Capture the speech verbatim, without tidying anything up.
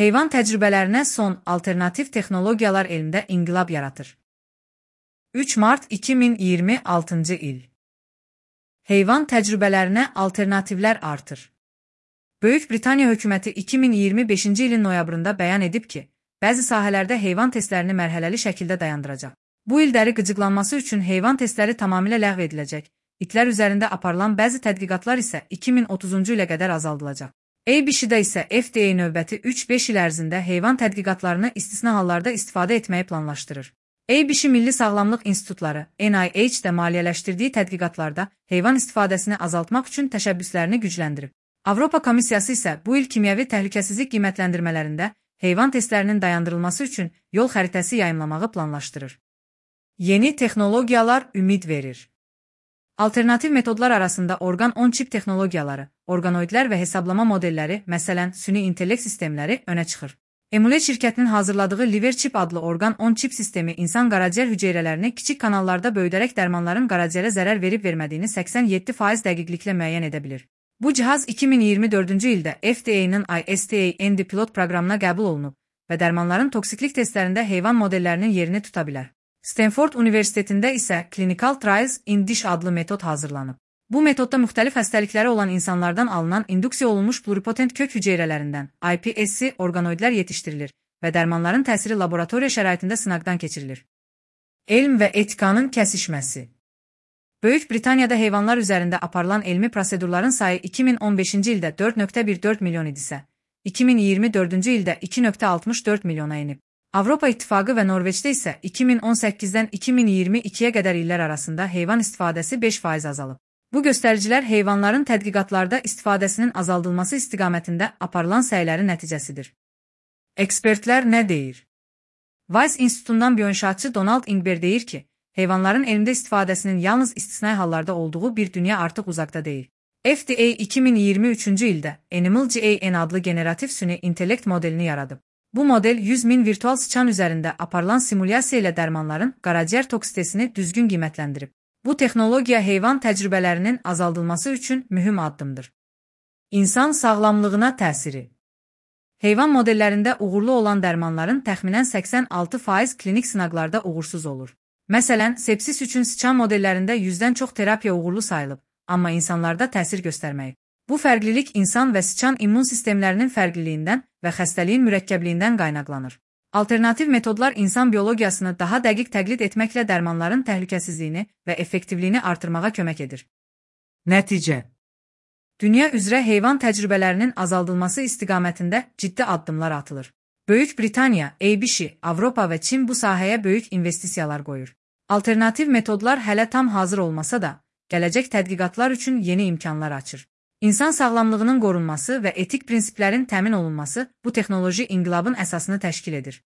Heyvan təcrübələrinə son alternativ texnologiyalar elmdə inqilab yaratır. üç mart iki min iyirmi altıncı il. Heyvan təcrübələrinə alternativlər artır. Böyük Britaniya hökuməti iki min iyirmi beşinci ilin noyabrında bəyan edib ki, bəzi sahələrdə heyvan testlərini mərhələli şəkildə dayandıracaq. Bu il dəri qıcıqlanması üçün heyvan testləri tamamilə ləğv ediləcək. İtlər üzərində aparılan bəzi tədqiqatlar isə iki min otuzuncu ilə qədər azaldılacaq. A B C-də isə F D A növbəti üç beş il ərzində heyvan tədqiqatlarını istisna hallarda istifadə etməyi planlaşdırır. A B C Milli Sağlamlıq İnstitutları N I H-də maliyyələşdirdiyi tədqiqatlarda heyvan istifadəsini azaltmaq üçün təşəbbüslərini gücləndirib. Avropa Komissiyası isə bu il kimyəvi təhlükəsizlik qiymətləndirmələrində heyvan testlərinin dayandırılması üçün yol xəritəsi yayımlamağı planlaşdırır. Yeni texnologiyalar ümid verir. Alternativ metodlar arasında orqan on çip texnologiyaları, orqanoidlər və hesablama modelləri, məsələn, süni intellekt sistemləri önə çıxır. Emulet şirkətinin hazırladığı Liverchip adlı orqan on çip sistemi insan qaraciyər hüceyrələrini kiçik kanallarda böyüdərək dərmanların qaraciyərə zərər verib vermədiyini səksən yeddi faiz dəqiqliklə müəyyən edə bilir. Bu cihaz iki min iyirmi dördüncü ildə F D A-nın I S T A N D pilot proqramına qəbul olunub və dərmanların toksiklik testlərində heyvan modellərinin yerini tuta bilər. Stanford Universitetində isə Clinical Trials in Dish adlı metod hazırlanıb. Bu metodda müxtəlif xəstəlikləri olan insanlardan alınan induksiya olunmuş pluripotent kök hüceyrələrindən I P S C orqanoidlər yetişdirilir və dərmanların təsiri laboratoriya şəraitində sınaqdan keçirilir. Elm və etikanın kəsişməsi. Böyük Britaniyada heyvanlar üzərində aparılan elmi prosedurların sayı iki min on beşinci ildə dörd nöqtə bir dörd milyon idisə, iki min iyirmi dördüncü ildə iki nöqtə altmış dörd milyona enib. Avropa İttifaqı və Norveçdə isə iki min on səkkizdən iki min iyirmi ikiyə qədər illər arasında heyvan istifadəsi beş faiz azalıb. Bu göstəricilər heyvanların tədqiqatlarda istifadəsinin azaldılması istiqamətində aparılan səylərin nəticəsidir. Ekspertlər nə deyir? Weiss İnstitutundan bioinşaatçı Donald Ingber deyir ki, heyvanların elmdə istifadəsinin yalnız istisnai hallarda olduğu bir dünya artıq uzaqda deyil. F D A iki min iyirmi üçüncü ildə Animal G A N adlı generativ süni intellekt modelini yaradıb. Bu model yüz min virtual sıçan üzərində aparılan simulyasiya ilə dərmanların qaraciyər toksitesini düzgün qiymətləndirib. Bu texnologiya heyvan təcrübələrinin azaldılması üçün mühüm addımdır. İnsan sağlamlığına təsiri. Heyvan modellərində uğurlu olan dərmanların təxminən səksən altı faiz klinik sınaqlarda uğursuz olur. Məsələn, sepsis üçün sıçan modellərində yüzdən çox terapiya uğurlu sayılıb, amma insanlarda təsir göstərməyib. Bu fərqlilik insan və sıçan immun sistemlərinin fərqliliyindən və xəstəliyin mürəkkəbliyindən qaynaqlanır. Alternativ metodlar insan biologiyasını daha dəqiq təqlid etməklə dərmanların təhlükəsizliyini və effektivliyini artırmağa kömək edir. Nəticə. Dünya üzrə heyvan təcrübələrinin azaldılması istiqamətində ciddi addımlar atılır. Böyük Britaniya, A B C, Avropa və Çin bu sahəyə böyük investisiyalar qoyur. Alternativ metodlar hələ tam hazır olmasa da, gələcək tədqiqatlar üçün yeni imkanlar açır. İnsan sağlamlığının qorunması və etik prinsiplərin təmin olunması bu texnoloji inqilabın əsasını təşkil edir.